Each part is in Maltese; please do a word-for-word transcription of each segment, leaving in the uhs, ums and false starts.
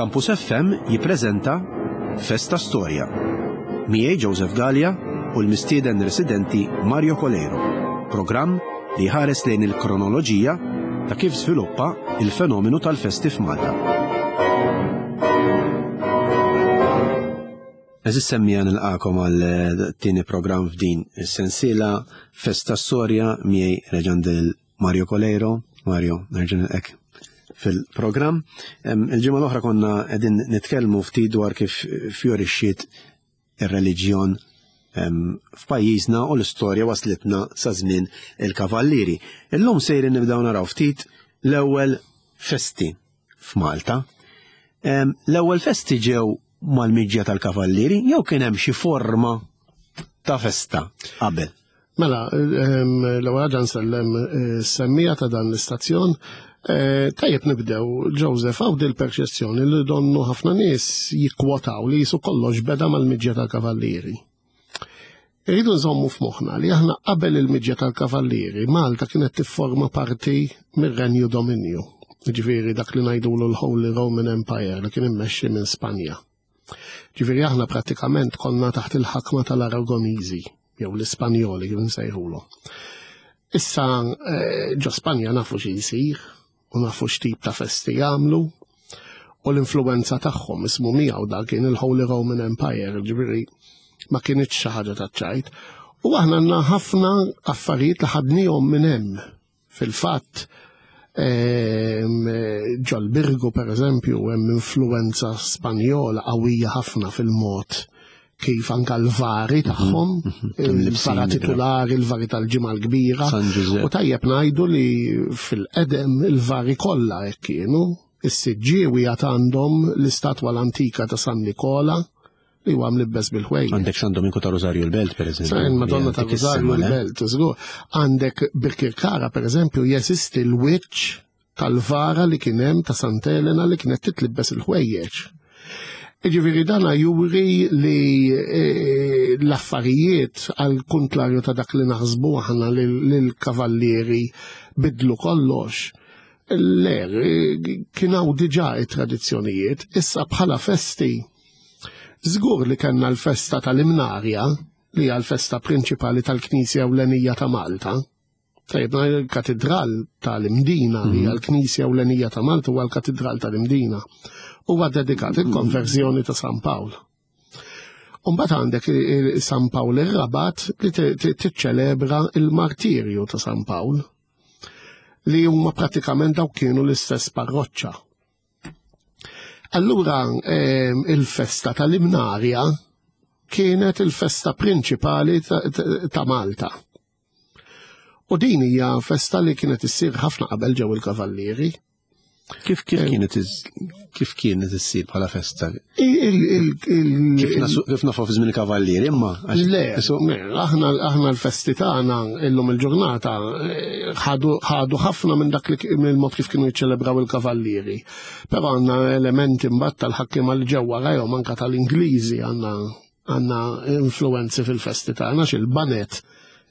Campus F M jippreżenta Festa Storja. Miegħi Joseph Gallia u l-mistieden residenti Mario Coleiro. Programm li ħares lejn il-kronoloġija ta' kif sviluppa il-fenomenu tal-festi f'Malta. Għeżież semmiegħa, nilqagħkom għal tieni programm f'din is-sensiela Festa Storja, miegħi reġandil Mario Coleiro. Mario, nerġa' nilqgħek fil-programm. Il-ġimgħa l-oħra konna qegħdin nitkellmu ftit dwar kif fjorixxiet ir-reliġjon f'pajjiżna u l-istorja waslitna sa żmien il-Kavallieri. Illum sejrin nibdew naraw ftit l-ewwel festi f'Malta. L-ewwel festi ġew mal-miġja tal-Kavallieri jew kien hemm xi forma ta' festa qabel? Mela, l-ewwel ħaġa nsellem semmiegħa ta' dan l-istazzjon. Tajjeb nibdew, Joseph, hawn dil-perċezzjoni li donnu ħafna nies jikkwotaw li qisu kollox beda mal-miġja tal-Kavallieri. Irridu nżommu f'moħħna li aħna qabel il-miġja tal-Kavallieri, Malta kienet tifforma parti mir-Renju Dominju. Ġifieri dak li ngħidulu l-Holy Roman Empire li kien immexxi minn Spanja. Ġifieri aħna prattikament konna taħt il-ħakma tal-Aragoniżi, jew l-Ispanjoli kif nsejħulu. Issa ġo Spanja nafu xi jsir u nafu x'tip ta' festi jagħmlu u l-influenza tagħhom ismu miegħu dak kien il-Holy Roman Empire, ġifieri ma kienx xi ħaġa ta' ċajt. U aħna għandna ħafna affarijiet li ħadnihom minn hemm. Fil-fatt, ġol-Birgu per eżempju hemm influenza Spanjola qawwija ħafna fil-mod kif anka l-vari tagħhom, il-vara titulari, il-vari tal-Ġimgħa l-Kbira. U tajjeb ngħidu li fil-qedem il-vari kollha hekk kienu. Is-Siġġiewi għad għandhom l-istatwa l-antika ta' San Nikola li huwa mlibbes bil-ħwejjeġ. Għandek San Dominku ta' Rosario l-Belt, per eżempju. San Madonna ta' Rosario l-Belt, żgur. Għandek Birkirkara, per eżempju, jeżisti l-wiċċ tal-vara li kien hemm ta' Sant'Elena li kienet titlibbes il-ħwejjeġ. Ġifieri dana juri li l-affarijiet għal kontlarju ta' dak li naħsbu aħna li l-kavallieri bidlu kollox. Le, kien hawn diġà it-tradizzjonijiet, issa bħala festi. Żgur li kellna l-festa tal-Imnarja, li hija l-festa prinċipali tal-Knisja Ewlenija ta' Malta. Tajjeb, il-Katedral tal-Imdina, li hija l-Knisja Ewlenija ta' Malta, huwa l-Katedral tal-Imdina. Huwa dedikat il-konverżjoni ta' San Pawl. Umbagħad għandek San Pawl ir-Rabat li tiċċelebra il-martirju ta' San Pawl, li huma pratikament dawk kienu l-istess parroċċa. Allura il-festa tal-Imnarja kienet il-festa prinċipali ta' Malta. U din hija festa li kienet issir ħafna qabel ġew il-Kavallieri. Kif kif kienet kif kienet issir bħala festa? Kif nafu fi żmien il-Kavallieri, imma? Le, aħna aħna l-festi tagħna illum il-ġurnata ħadu ħafna minn dak li mill-mod kif kienu jiċċelebraw il-Kavallieri. Però għandna elementi mbagħad tal-ħakkiema li ġew warajhom, anke tal-Ingliżi, għandna għandna influenzi fil-festi tagħna, xil-banet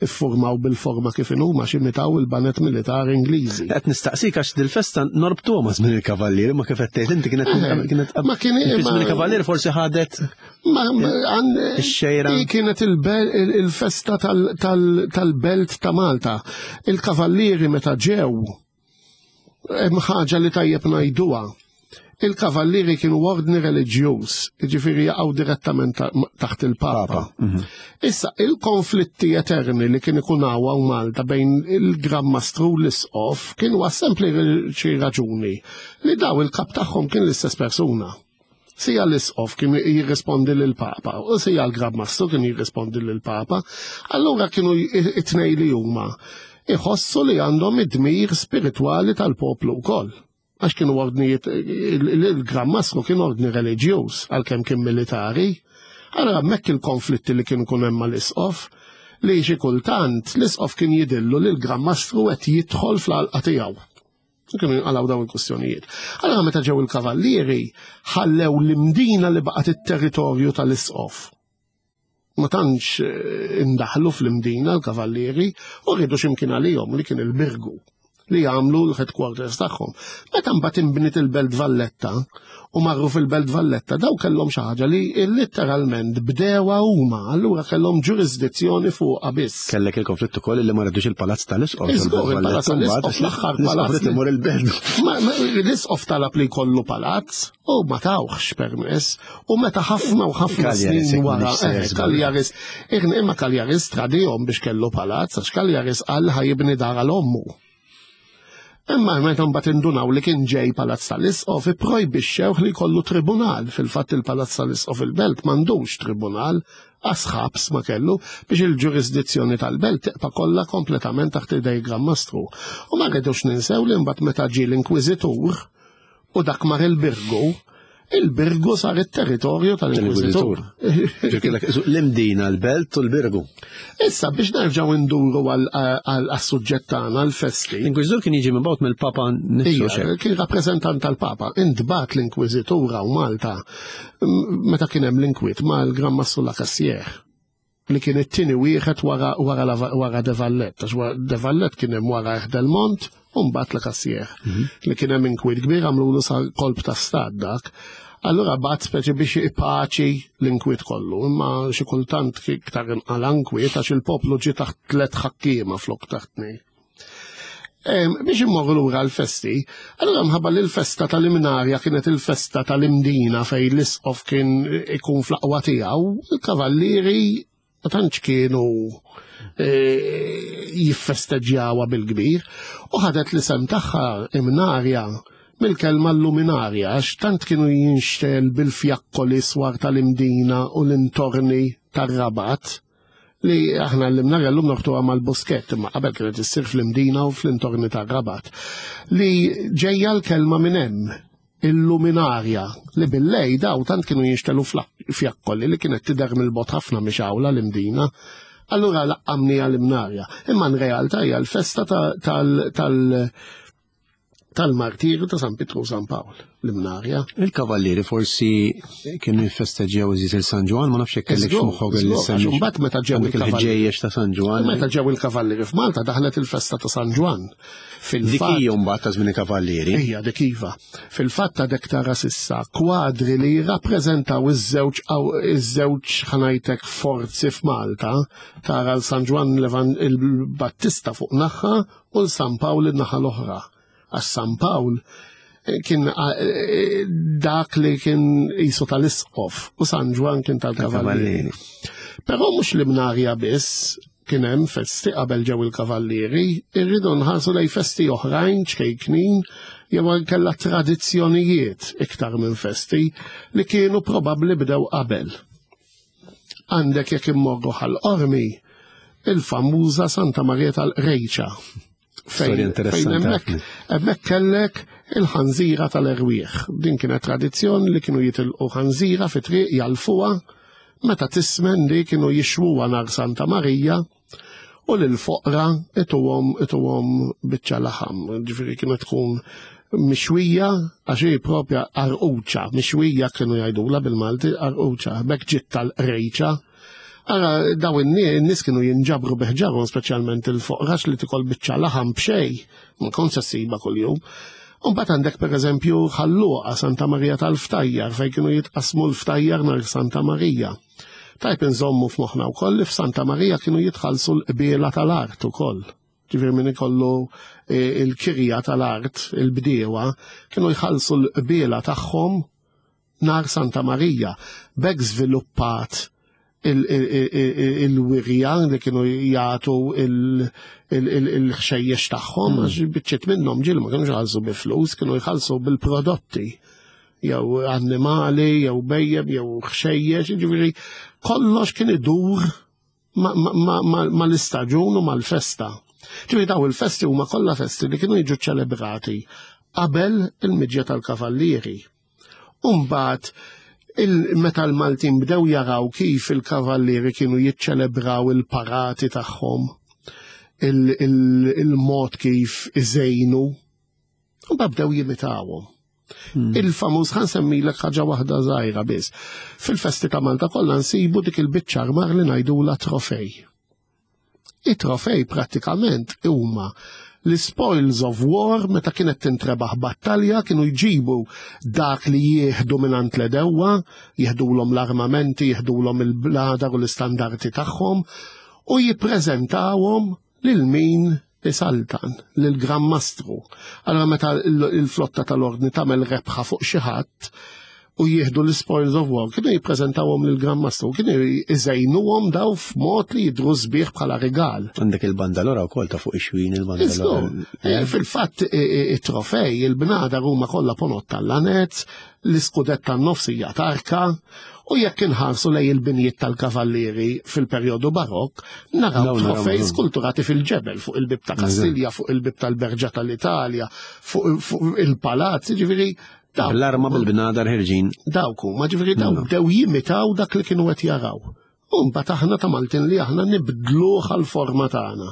iffurmaw bil-forma kif inhuma x'imitaw il-banet militari Ingliżi. Qed nistaqsik għax dil-festa norbtuha ma' żmien il-Kavallieri, ma kif qed tgħid inti kienet kienet ma kien żmien il-Kavallieri forsi ħadet ix-xejra. Kienet il-festa tal-belt ta' Malta. Il-Kavallieri meta ġew, hemm ħaġa li tajjeb ngħiduha. Il-Kavallieri kienu ordni reliġjuż, ġifieri jaqgħu direttament taħt il-Papa. Issa, il-konflitti eterni li kien ikun hawn Malta bejn il-Gran Mastru u l-Isqof kienu għas-sempliċi raġuni li daw il-kap tagħhom kien l-istess persuna. Sija l-Isqof kien jirrispondi lill-Papa u sija l-Gran Mastru kien jirrispondi lill-Papa, allura kienu it-tnejn li huma iħossu li għandhom id-dmir spiritwali tal-poplu wkoll. Għax kienu ordnijiet, il-Gran Mastru kien ordni reliġjuż għalkemm kien militari. Allora hemmhekk il-konflitti li kienu kun hemm mal-Isqof, li xi kultant l-Isqof kien jidillu li l-Gran Mastru qed jidħol fl-għalqa tiegħu. Kienu jinqalgħu dawn il-kwistjonijiet. Allora meta ġew il-Kavallieri ħallew l-Imdina li baqgħet it-territorju tal-Isqof. Ma tantx indaħlu fl-Imdina l-Kavallieri u rridu x'imkien għalihom li kien il-Birgu, li jagħmlu l-headquarters tagħhom. Meta mbagħad inbniet il-Belt Valletta u marru fil-Belt Valletta, daw kellhom xi ħaġa li literalment bdewha huma, allura kellhom ġurisdizzjoni fuqha biss. Kellek il-konflitt ukoll li ma rridux il-Palazz tal-Isqof. Iżgur, il-Palazz tal-Isqof, l-aħħar palazz. Imur il-belt. L-Isqof talab li jkollu palazz u ma tawhx permess u meta ħafna u ħafna snin wara Cagliaris, imma Cagliaris tradihom biex kellu palazz, għax Cagliaris qal ħa jibni dar għal ommu. Imma meta mbagħad indunaw li kien ġej Palazz tal-Isqof, ipprojbixxewh li jkollu tribunal. Fil-fatt il-Palazz tal-Isqof il-Belt m'għandux tribunal, għas ħabs ma kellu, biex il-ġurisdizzjoni tal-belt tibqa' kollha kompletament taħt idej Gran Mastru. U ma rridux ninsew li mbagħad meta ġie l-Inkwiżitur u dak mar il-Birgu, il-Birgu sar it-territorju tal-Inkwiżitur. L-Imdina, l-Belt u l-Birgu. Issa biex nerġgħu nduru għas-suġġett tagħna, l-festi. L-Inkwiżitur kien jiġi mibgħut mill-Papa nnifsu. Kien rappreżentant tal-Papa. Intbagħat l-Inkwiżitur u Malta meta kien hemm l-inkwiet mal-Gran Mastru La Cassière, li kien it-tieni wieħed wara wara De Valette, għax De Valette kien hemm wara Del Mont u mbagħad La Cassière. Li kien hemm inkwiet kbir, għamlu sa kolp ta' stat dak. Allura bagħat speċi biex ipaċi l-inkwiet kollu, imma xi kultant iktar inqala inkwiet għax il-poplu ġie taħt tliet ħakkiema flok taħt tnejn. Biex immorru lura l-festi, allura mħabba li l-festa tal-Imnarja kienet il-festa tal-Imdina fej l-isqof kien ikun fl-aqwa tiegħu, il-kavallieri ma tantx kienu jiffesteġġjawha bil-kbir u ħadet l-isem tagħha Imnarja mill-kelma luminarja, għax tant kienu jinxtegħel bil-fjakkoli swar tal-Imdina u l-intorni tar-Rabat li aħna l-Imnarja l-lum norbtuha mal-Buskett, imma qabel kienet issir fl-Imdina u fl-intorni tar-Rabat. Li ġejja l-kelma minn hemm, il-luminarja, li bil-lejl daw tant kienu jinxtegħlu fjakkoli li kienet tidher mill-bogħod ħafna mixgħula l-Imdina. Allura laqqamnieha l-Imnarja. Imma in realtà hija l-festa tal- tal- tal-martirju ta' San Pietru u San Pawl, l-Imnarja. Il-kavallieri forsi kienu jiffesteġġjaw iżjed il-San Ġwann, ma nafx jekk kellek x'moħħok li semmi. Mbagħad meta ġew il-ħġejjex ta' San Ġwann. Meta ġew il-kavallieri f'Malta daħlet il-festa ta' San Ġwann. Dik hija mbagħad ta' żmien il-kavallieri. Hija dik iva. Fil-fatt ta' dek tara s'issa kwadri li jirrappreżentaw iż-żewġ iż-żewġ ħa ngħidlek forzi f'Malta, tara l-San Ġwann il-Battista fuq naħa u l-San Pawl in-naħa l-oħra. Għax San Pawl kien dak li kien jisu tal-isqof u San Ġwann kien tal-kavallieri. Però mhux l-Imnarja biss kien hemm festi qabel ġew il-kavallieri, irridu nħarsu lej festi oħrajn ċkejknin jew kellha tradizzjonijiet iktar minn festi li kienu probabbli bdew qabel. Għandek jekk immorru Ħal Qormi il-famuża Santa Maria tal-Qrejċa. Fejn hemmhekk kellek il-ħanżira tal-erwieħ. Din kienet tradizzjoni li kienu jitilqu ħanżira fi triq jalfuha, meta tismen li kienu jixwuha nar Santa Marija u lil foqra ituhom ituhom biċċa laħam. Ġifieri kienet tkun mixwija, għax hi propja arquċa, mixwija kienu jgħidula bil-Malti arquċa, b'hekk ġiet tal-qrejċa. Ara, daw in-nies kienu jinġabru biħġarhom, speċjalment il-foqrax li tikol biċċa laħam b'xejn, ma kontx ssiba kuljum. U mbagħad għandek pereżempju Ħal Luqa Santa Marija tal-Ftajjar fejn kienu jitqasmu l-ftajjar nar Santa Marija. Tajb inżommu f'moħħna wkoll li f'Santa Marija kienu jitħallsu l-qbiela tal-art ukoll. Ġifieri min ikollu il-kirja tal-art, il-bdiewa, kienu jħallsu l-qbiela tagħhom nar Santa Marija. B'hekk żviluppat il-wirja li kienu jagħtu il-ħxejjex tagħhom, għax biċċiet minnhom ġieli ma kienux jħallsu bi flus, kienu jħallsu bil-prodotti, jew annimali, jew bhejjem, jew ħxejjex, ġifieri kollox kien idur mal-istaġun u mal-festa. Ġifieri daw il-festi huma kollha festi li kienu jiġu ċelebrati qabel il-miġja tal-kavallieri. U mbagħad meta l-Maltin bdew jaraw kif il-kavallieri kienu jiċċelebraw il-parati tagħhom, il-mod kif iżejnu, u bdew jimitawhom. Il-famuż, ħa nsemmilek ħaġa waħda żgħira biss. Fil-festi ta' Malta kollha nsibu dik il-biċċa armar li ngħidula trofej. I-trofej prattikament huma L-spoils of war, meta kienet tintrebaħ battalja, kienu jġibu dak li jieħdu mingħand l-edewwa, jieħdulhom l-armamenti, jieħdulhom il-bladar u l-istandardi tagħhom, u jippreżentawhom lil min isaltan, lil Gran Mastru. Allora meta il-flotta tal-ordni tagħmel rebħa fuq xi ħadd u jieħdu l-spoils of war, kienu jippreżentawhom lil Gran Mastru, kienu iżejnuhom daw f'mod li jidhru sbieħ bħala rigal. Għandek il-bandalora wkoll ta' fuq ix-xwien il-bandalora. Fil-fatt it-trofej, il-bnadar huma kollha ponot tal-lanez, l-iskudett tan-nofs hija tarka, u jekk inħarsu lej il-binjiet tal-kavallieri fil-perjodu barokk, naraw trofej skulturati fil-ġebel fuq il-bib ta' Kastilja, fuq il-bib tal-Berġa tal-Italja, fuq il-palazz, ġifieri L-arma bil-bnadar ħirġin. Dawk huma, ġifieri dawk bdew jimitaw dak li kienu qed jaraw. U mbagħad aħna ta' Maltin li aħna nibdluh għall-forma tagħna.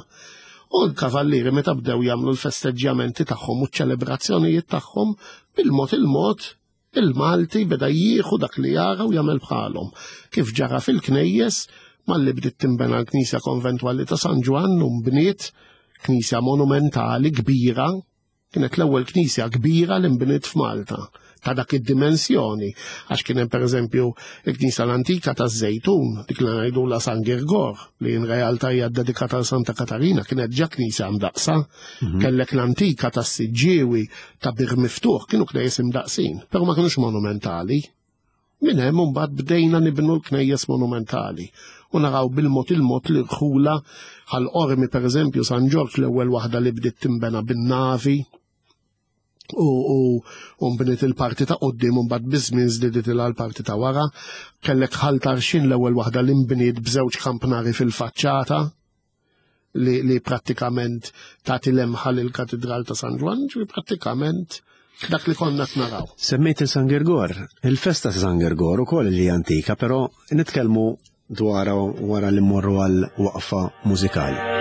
U l-kavallieri meta bdew jagħmlu l-festeġġjamenti tagħhom u ċ-ċelebrazzjonijiet tagħhom, bil-mod il-mod il-Malti beda jieħu dak li jara u jagħmel bħalhom. Kif ġara fil-knejjes, malli bdiet tinbena l-Knisja Konventwali ta' San Ġwann u nbniet knisja monumentali kbira. Kienet l-ewwel knisja kbira li nbniet f'Malta ta' dak id-dimensjoni, għax kien hemm pereżempju il-knisja l-antika taż-Żejtun, dik li ngħidulha San Girgor, li in realtà hija ddedikata għal Santa Katarina, kienet ġa knisja mdaqsa. Kellek l-antika tas-Siġġiewi ta' Bir Miftuħ, kienu knejjes imdaqsin, però ma kinux monumentali. Minn hemm imbagħad bdejna nibnu l-knejjes monumentali u naraw bil-mod il-mod li rħula ħal Qormi pereżempju San Ġorġ l-ewwel waħda li bdiet tinbena bin-navi u nbniet il-parti ta' quddiem u mbagħad biż-żmien żdiedet ilha l-parti ta' wara. Kellek Ħal Tarxien l-ewwel waħda li nbniet b'żewġ kampnari fil-faċċata li, li prattikament tagħti lemħa lill-Katidral ta' San Ġwann, ġifieri prattikament dak li konna naraw. Semmejt il-San Girgor, il-festa ta' San Girgor ukoll li antika, però nitkellmu dwar wara li mmorru għal waqfa mużikali.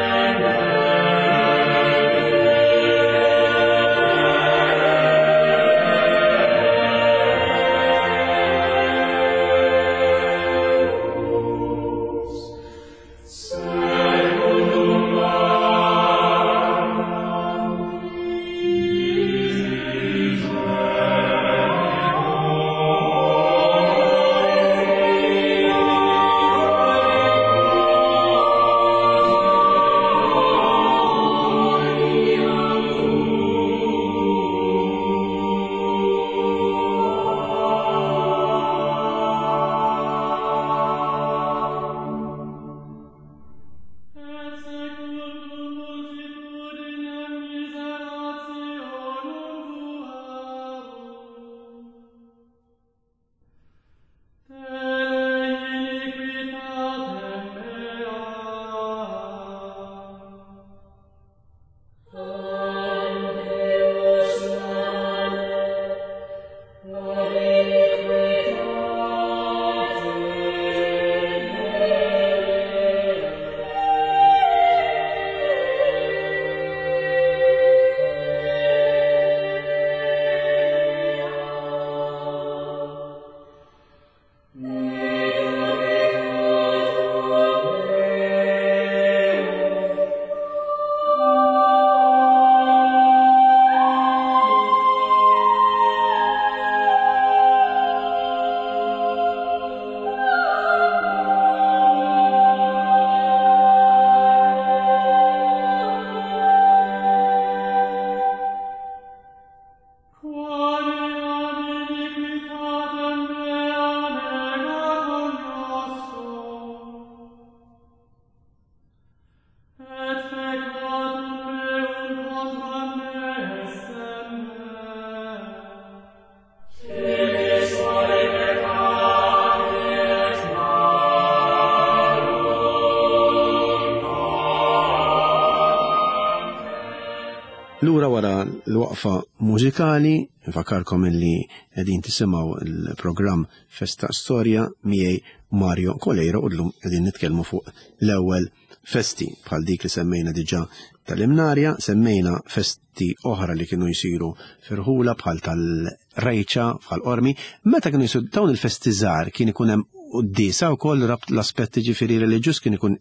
Lura wara l-waqfa mużikali, nfakkarkom illi qegħdin tisimgħu l-programm Festa Storja miegħi Mario Coleiro u llum qegħdin nitkellmu fuq l-ewwel festi bħal dik li semmejna diġà tal-Imnarja, semmejna festi oħra li kienu jsiru firħula bħal tal-Rejċa, bħal Qormi. Meta kienu jsiru dawn il-festi żgħar kien ikun hemm quddiesa wkoll rabt l-aspetti ġifieri reliġjuż kien ikun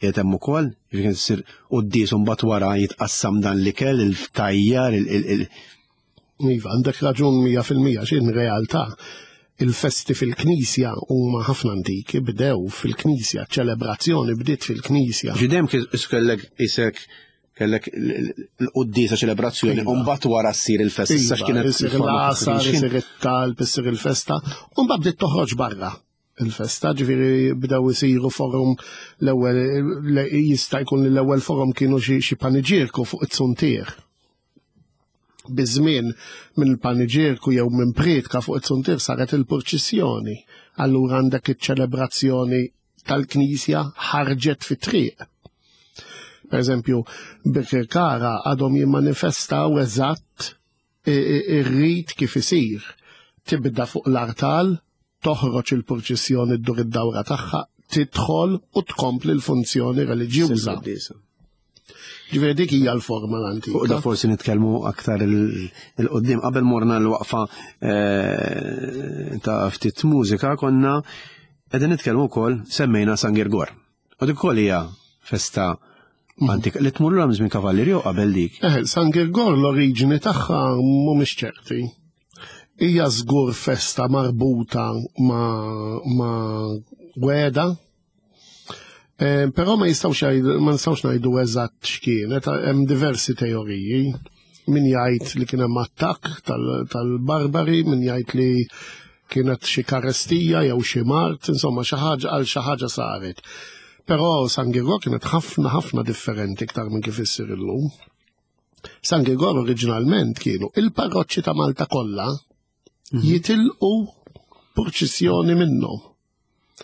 qiegħed hemm ukoll, jiġifieri kien issir quddies u mbagħad wara jitqassam dan l-ikel, il-ftajjar, il- Iva, għandek raġun mija fil-mija, x'in realtà il-festi fil-knisja huma ħafna antiki, bdew fil-knisja, ċelebrazzjoni bdiet fil-knisja. Ġidem kellek isek kellek l-quddiesa ċelebrazzjoni, Iva. u mbagħad wara ssir il-festa. Iva, Issa x'kienet isir il-forma l-għasar, kif isir it-talb, isir il-festa, u mbagħad bdiet toħroġ barra il-festa, ġifieri bdew isiru forum l-ewwel le- jista' jkun li l-ewwel forum kienu xi xi paniġierku fuq it-suntier. Biż-żmien minn il-paniġierku jew minn prietka fuq it-suntier saret il-purċissjoni. Allura għandek iċ-ċelebrazzjoni tal-Knisja ħarġet fit-triq. Per eżempju, Birkirkara għadhom jimmanifestaw eżatt i- i- ir-rit kif isir. Tibda fuq l-artal, toħroġ il-purċissjoni ddur id-dawra tagħha, tidħol u tkompli l-funzjoni reliġjuża. Quddiesa. Ġifieri dik hija l-forma Fuq da l-antika. forsi nitkellmu aktar il- il-qoddim. Qabel morna l-waqfa eh, ta' ftit mużika konna qegħdin nitkellmu wkoll semmejna San Girgor. U dik ukoll hija festa antika li tmur lura żmien Kavallieri jew qabel dik. Eh, San Girgor l-oriġini tagħha mhumiex ċerti. Hija żgur festa marbuta ma' ma' weda, Eh, però ma jistgħux jgħidu- ma nistgħux ngħidu eżatt x'kienet, hemm diversi teoriji. Min jgħid li kien hemm attakk tal- tal-barbari, min jgħid li kienet xi karestija jew xi mart, insomma xi ħaġa għal xi ħaġa saret. Però San Girgor kienet ħafna ħafna differenti iktar minn kif issir illum. San Girgor oriġinalment kienu il-parroċċi ta' Malta kollha jitilqu purċissjoni minnhom.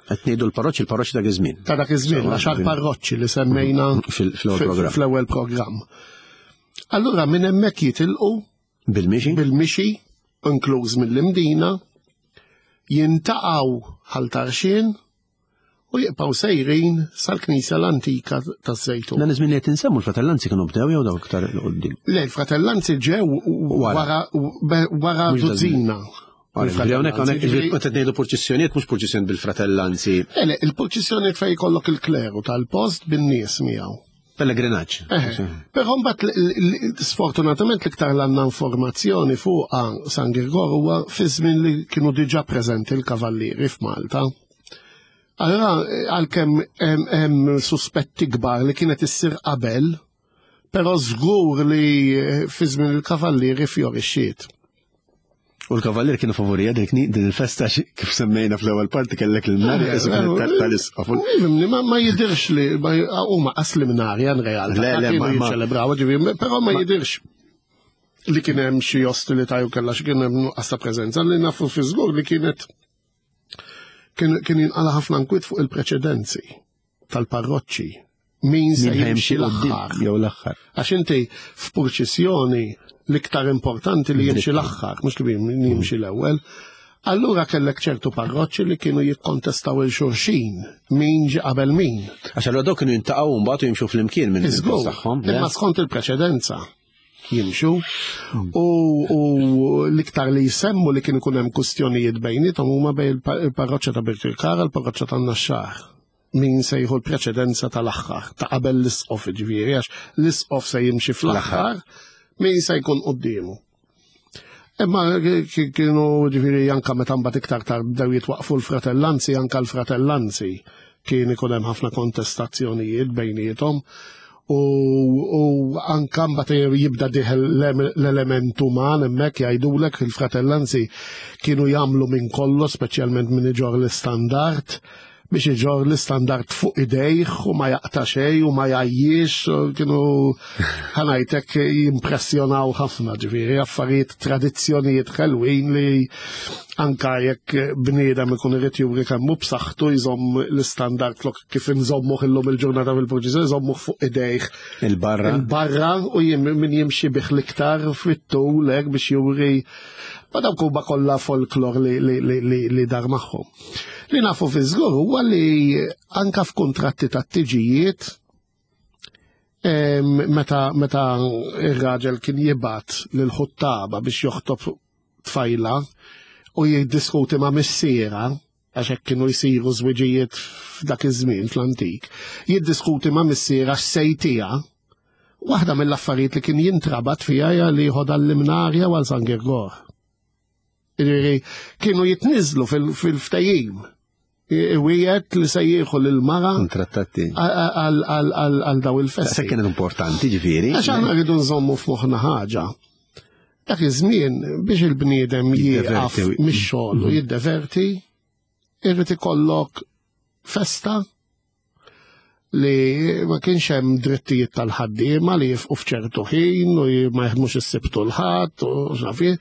Qed ngħidu l-parroċċi, il-parroċċi dak iż-żmien. Ta' dak iż-żmien, Insomma, għaxar din- parroċċi li semmejna Fil- fl-ewwel fi- programm. fl-ewwel programm. Allura minn hemmhekk jitilqu Bil-mixi? bil-mixi, inkluż mill-Imdina, jintaqgħu Ħal Tarxien u jibqgħu sejrin sal-Knisja l-Antika taż-Żejtun. Dan iż-żmien li qed insemmu l-fratellanzi kienu bdew jew dawk iktar il-qoddim. Le, l-fratellanzi ġew Wara. wara wara Mhux da żmien. duzzina. Ġifieri hawnhekk hawnhekk Ġifieri- ġifieri meta ngħidu purċissjonijiet mhux purċissjoni bil-fratellanzi, Le, le, il-purċissjoni fejn jkollok il-kleru tal-post bin-nies miegħu. pellegrinaġġ. Eh, Però mbagħad l- l- sfortunatament l-iktar l-għandna informazzjoni fuq San Girgor huwa fi żmien li kienu diġà preżenti l-kavallieri f'Malta. Allora eh, għalkemm hemm hemm suspetti kbar li kienet issir qabel, però żgur li eh, fi żmien il-kavallieri fjorixxiet. U l-kavallier kienu favorija dik ni- din il-festa xi- kif semmejna fl-ewwel parti kellek il-mnarja Eh, isu kienet tal- tal-isqof. Ifhimni, ma ma jidirx li ma- huma qas li mnarja in realtà. Le, le, kienu ma- ma- jiċċelebraw, ġifieri, però ma jidirx li kien hemm xi ostilità jew kellha xi kien hemm nuqqas ta' preżenza li nafu fi żgur li kienet kien kien jinqala ħafna nkwiet fuq il-preċedenzi tal-parroċċi. Min se Min ħa jimxi jimxi l-aħħar. quddiem jew l-aħħar. Għax inti f'purċissjoni l-iktar importanti li jimxi l-aħħar, mhux li min jimxi l-ewwel. Allura kellek ċertu parroċċi li kienu jikkontestaw il-xulxin, min ġi qabel min. Għax allura dawk kienu jintaqgħu mbagħad u jimxu flimkien minn Iżgur, il-post tagħhom. le? imma skont il-preċedenza jimxu u, u l-iktar li jsemmu li kien ikun hemm kustjonijiet bejniethom huma bejn il-pa- il-parroċċa ta' Birkirkara u l-parroċċa tan-Naxxar. Min se jieħu l-preċedenza tal-aħħar, ta' qabel l-isqof ġifieri, għax l-isqof se jimxi fl-aħħar, min se jkun quddiemu. Imma ki- kienu ġifieri anka meta mbagħad iktar tard bdew jitwaqfu l-fratellanzi, anka l-fratellanzi kien ikun hemm ħafna kontestazzjonijiet bejniethom. U, u anka mbagħad jibda dieħel l-element uman hemmhekk jgħidulek il-fratellanzi kienu jagħmlu minn kollox, speċjalment minn iġor l-istandard, biex iġor l-istandard fuq idejh u ma jaqta xejn u ma jgħajjix, u kienu ħa ngħidlek jimpressjonaw ħafna ġifieri affarijiet tradizzjonijiet ħelwin li anka jekk bniedem ikun irid juri kemm hu b'saħħtu jżomm l-istandard flok kif inżommuh illum il-ġurnata fil-purċissjoni jżommuh fuq idejh Il-barra. il-barra u jim, min jimxi bih l-iktar fit-tul hekk biex juri ma dawk huma kollha folklor li, li, li, li, li dar magħhom. Li nafu fi żgur huwa li anka f'kuntratti ta' tiġijiet em, meta meta ir-raġel kien jibgħat lil ħuttaba biex joħtob tfajla u jiddiskuti ma' missiera għax hekk kienu jsiru żwiġijiet f'dak iż-żmien fl-antik, jiddiskuti ma' missierha x'se jtiha, waħda mill-affarijiet li kien jintrabat fiha hija li jħodha l-Imnarja għal San Girgor. Jiġifieri kienu jitniżlu fil-ftehim. Iwiegħed li se jieħu lil-mara Kontrattati. għal daw il-festi. Se kienet importanti ġifieri. Għax aħna rridu nżommu f'moħħna ħaġa. Dak iż-żmien biex il-bniedem jieqaf Jiddeverti. mix-xogħol u jiddeverti, irrid ikollok festa li ma kienx hemm drittijiet tal-ħaddiema li jifqu f'ċertu ħin u ma jaħdmux is-Sibt u l-Ħadd u x'naf jien,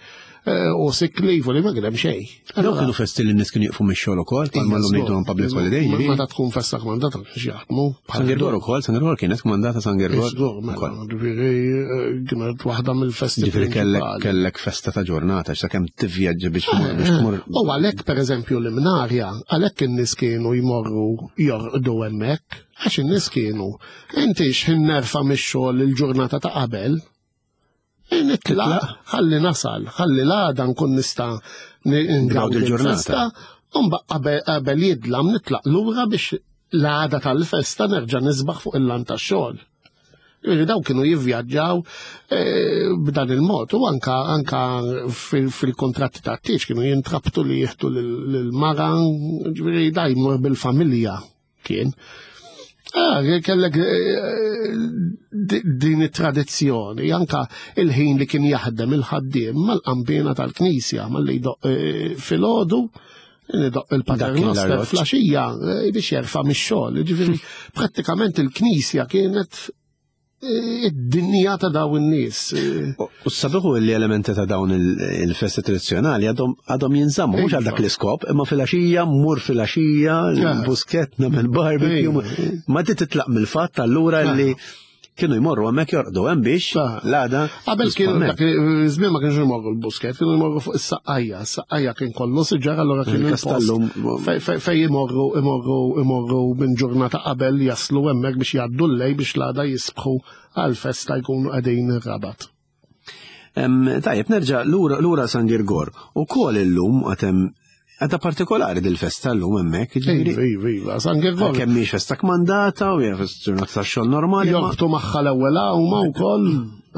eh, u sick leave u li ma kien hemm xejn. Dawn kienu festi li n-nies kienu jiqfu mix-xogħol ukoll, bħalma llum ngħidu public holiday, ġifieri. Meta tkun festa kmandata kienx jaħdmu. San Girgor ukoll, San Girgor kienet kmandata San Girgor. Żgur, mela, ukoll. ġifieri eh, kienet waħda mill-festi. Ġifieri kellek prinċipali. kellek festa ta' ġurnata, sakemm tivvjaġġi biex tmur biex tmur. U għalhekk per eżempju l-Imnarja, għalhekk in-nies kienu jmorru jorqdu hemmhekk, għax in-nies kienu inti x'ħin nerfa' mix-xogħol il-ġurnata ta' qabel, nitlaq, ħalli nasal, ħalli l-għada nkun nista' ngawdi il-ġurnata. l-festa, u mbagħad qabel qabel jidlam nitlaq lura biex l-għada tal-festa nerġa' nisbaħ fuq il-lant tax-xogħol. Ġifieri daw kienu jivvjaġġaw eh, b'dan il-mod u anka anka fil- fil-kontratti ta' tieġ kienu jintrabtu li jieħdu lil-mara, ġifieri da jmur bil-familja kien. Ah, kellek eh, di- din it-tradizzjoni, anka il-ħin li kien jaħdem il-ħaddiem mal-qanpiena tal-knisja, mal-li jdoqq eh, filgħodu, idoqq il-paternoster l-arloġġ. filgħaxija eh, biex jerfa' mix-xogħol. Ġifieri prattikament il-knisja kienet eh, id-dinja ta' daw in-nies. Eh, U s-sabiħu li elementi ta' dawn il- il-festi tradizjonali għadhom għadhom jinżammu, mhux għal dak l-iskop, imma filgħaxija, mur filgħaxija, l-Buskett, nagħmel barbecue, Ejja. ma ti titlaq mill-fatt allura li kienu jmorru hemmhekk jorqdu hemm biex Ah. l-għada. Qabel kienu hemmhekk. dak iż-żmien ma kienx imorru l-Buskett, kienu jmorru fuq is-Saqqajja. Is-Saqqajja kien kollu siġar allura kien il-post Il-Kastallum. fej- fej fej imorru imorru imorru minn ġurnata qabel jaslu hemmhekk biex jgħaddu l-lejl biex l-għada jisbħu għal-festa jkunu qegħdin ir-Rabat. Em, Tajjeb, nerġa' lura lura San Girgor. U kol illum għatem għadha partikolari dil-festa llum hemmhekk, ġifieri. Iva, iva, iva, San Girgor. Kemm mhix festa kmandata u hija festa ġurnata tax-xogħol normali. ma- Jorbtu magħha l-ewwel għawma wkoll,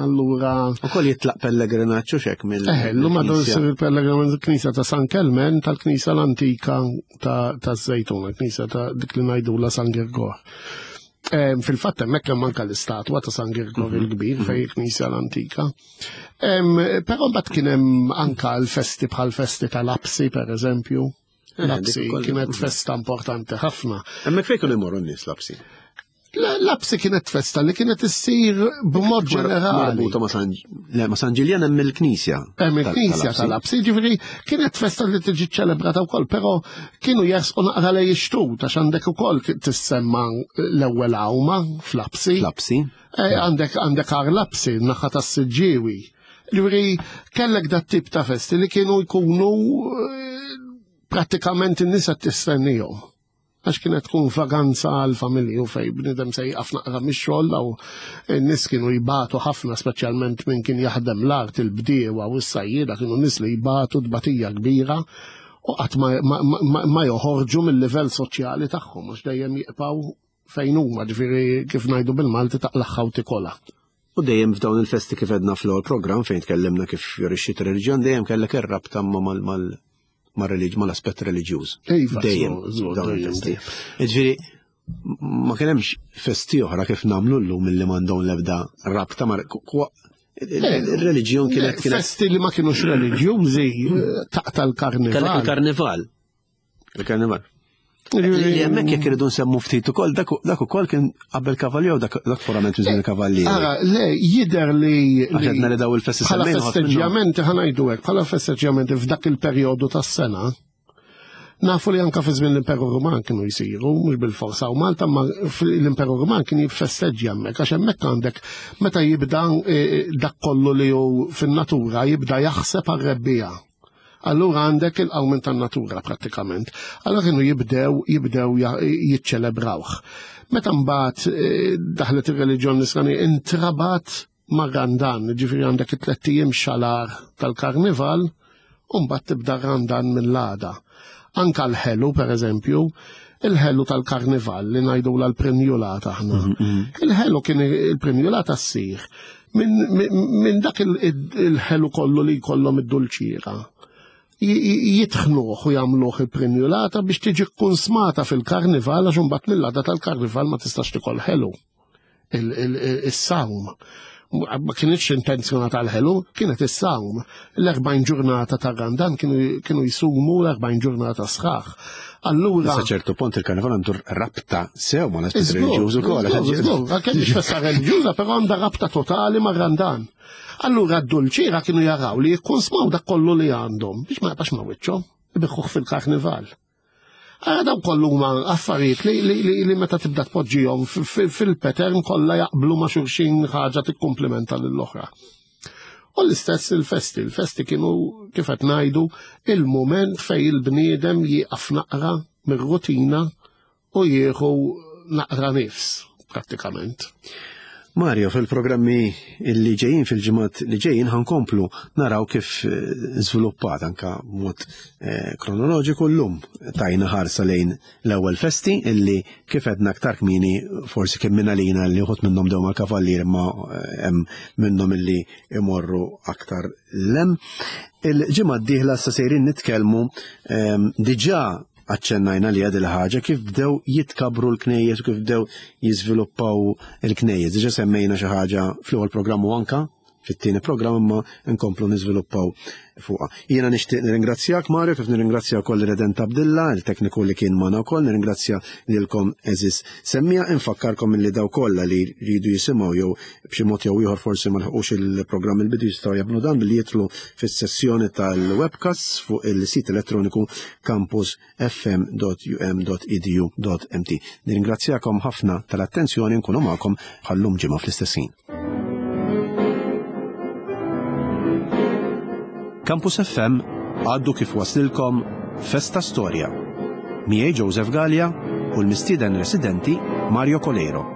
allura Ukoll jitlaq pellegrinaġġ u xek mill. Eh, l-lum għadu mill-knisja. jsir il-pellegrinaġġ il-Knisja ta' San Kelmen, tal-Knisja l-antika ta' ta' Żejtuna, Knisja ta' dik li ngħidula San Girgor. Em, Fil-fatt hemmhekk hemm anke l-istatwa ta' San Girgor il-kbir fej il-Knisja l-antika. Em, Però mbagħad kien hemm anka l-festi bħal festi tal-Lapsi per eżempju. Eh, Lapsi dik ukoll. kienet festa importanti ħafna. Hemmhekk fejn kienu jmorru n-nies Lapsi? L- Lapsi kienet festa li kienet issir b'mod ġenerali. Marbuta ma' San le, ma' San Ġiljan hemm il-knisja. Hemm tal- il-knisja tal-Lapsi, ġifieri kienet festa li tiġi ċelebrata wkoll, però kienu jersqu naqra lejn ix-xtut għax għandek ukoll tissemma l-ewwel għawma fl-Lapsi. Lapsi. Eh, Għandek għandek Għar Lapsi, naħa tas-Siġġiewi. Ġifieri kellek dat tip ta' festi li kienu jkunu eh, prattikament in-nies qed tistennihom. Għax kienet tkun vaganza għal familji u fej bnidem se jqaf naqra mix-xogħol aw n-nies kienu jbatu ħafna speċjalment min kien jaħdem l-art il-bdiewa u s-sajjieda kienu nies li jbatu tbatija kbira u qatt ma, ma, ma, ma joħorġu mill-livell soċjali tagħhom għax dejjem jibqgħu fejn huma ġifieri kif ngħidu bil-Malti taqlaħħa u tikolha. U dejjem f'dawn il-festi kif edna fl-ewwel programm fejn tkellimna kif fjorixxiet ir-reliġjon dejjem kellek ir-rabta ma' mal mal mal-reliġ mal-aspett reliġjuż. Iva, Dejjem żgur, żgur, dawn dejjem. il-festi. Ġifieri ma kien hemmx festi oħra kif nagħmlu llum milli m'għandhom l-ebda rabta ma' il-reliġjon kienet kienet Festi li ma kienux reliġjużi eh, taqta kellek l-karnival. il-karnival. Il-karnival. Li hemmhekk jekk iridu nsemmu ftit ukoll dak dak ukoll kien qabel kavallier u dak dak forament minn żmien il-kavallieri. Ara, le, jider li. Għax għedna li daw il-festi Bħala semmejna ħafna minnhom. festeġġjamenti ħa ngħidu hekk, bħala festeġġjamenti f'dak il-perjodu tas-sena, nafu li anka fi żmien l-Imperu Ruman kienu jsiru, mhux bil-forsa u Malta, ma l-Imperu Ruman kien jiffesteġġja hemmhekk, għax hemmhekk għandek meta jibda eh, dak kollu li hu fin-natura jibda jaħseb għar-rebbiegħa. Allura għandek il-qawmin tan-natura prattikament. Allura kienu jibdew jibdew ja- jiċċelebrawh. Meta mbagħad eh, daħlet ir-reliġjon nisrani intrabat ma' Randan, ġifieri għandek it-tlett ijiem xalar tal-karnival, u mbagħad tibda Randan minn l-għada. Anka l-ħelu, per eżempju, il-ħelu tal-karnival li ngħidu l-prenjulata aħna. Il-ħelu kien il-prenjulata ssir minn dak il-ħelu kollu li jkollhom id-dulċiera. Jitħnuh u jagħmluh il-prenjulata biex tiġi kkunsmata fil-karnival, għax imbagħad mill-għada tal-karnival ma tistax tikol ħelu. Is-sawm. Ma kienx intenzjonata għal-ħelu, kienet is-sawm. L-erbgħin ġurnata ta' Randan kienu jisumu l-erbgħin ġurnata sħaħ. Allura. Sa ċertu punt il-karnival għandu rabta sew ma l-aspett reliġjuż ukoll. Għalkemm mhix festa reliġjuża, però għandha rabta totali ma' Randan. Allura d-dulċiera kienu jaraw li jikkonsmaw dak kollu li għandhom biex ma jibqax ma' wiċċhom, ibiħħuh fil-karnival. Ara daw kollu huma affarijiet li, li, li, li meta tibda tpoġġihom fil-pattern kollha jaqblu ma' xulxin, ħaġa tikkumplimenta lill-oħra. U l-istess il-festi, il-festi kienu kif qed ngħidu il-mument fej il-bniedem jieqaf naqra mir-rutina u jieħu naqra nifs prattikament. Mario, fil-programmi li ġejjin, fil-ġimgħat li ġejjin, ħankomplu naraw kif żviluppat anka mod kronoloġiku. Llum tajna ħarsa lejn l-ewwel festi illi kif għedna aktar kmieni forsi kien minn għalina li uħud minnhom dew mal-kavallier, imma hemm minnhom illi imorru aktar lem. Il-ġimgħa d-dieħla sa sejrin nitkellmu, diġà aċċennajna li għad il-ħaġa kif bdew jitkabru l-knejjes u kif bdew jiżviluppaw il-knejjes. Diġà semmejna xi ħaġa fl-ewwel programm u anka fit-tieni programm, imma nkomplu niżviluppaw fuqha. Jiena nixtieq nirringrazzjak Mario, kif nirringrazzja wkoll Redent Abdilla, il-tekniku li kien magħna wkoll, nirringrazzja lilkom għeżież semmija, infakkarkom illi daw kollha li jridu jisimgħu jew b'xi mod jew ieħor forsi ma lħqux il-programm il-bidu jistgħu jagħmlu dan billi jidħlu fis-sessjoni tal-webcast fuq il-sit elettroniku campus f m dot u m dot e d u dot m t. Nirringrazzjakom ħafna tal-attenzjoni, nkunu magħkom bħallum ġimgħa fl-istess ħin. Campus F M għaddu kif waslilkom Festa Storja. Miegħi Joseph Galea u l-mistieden residenti Mario Coleiro.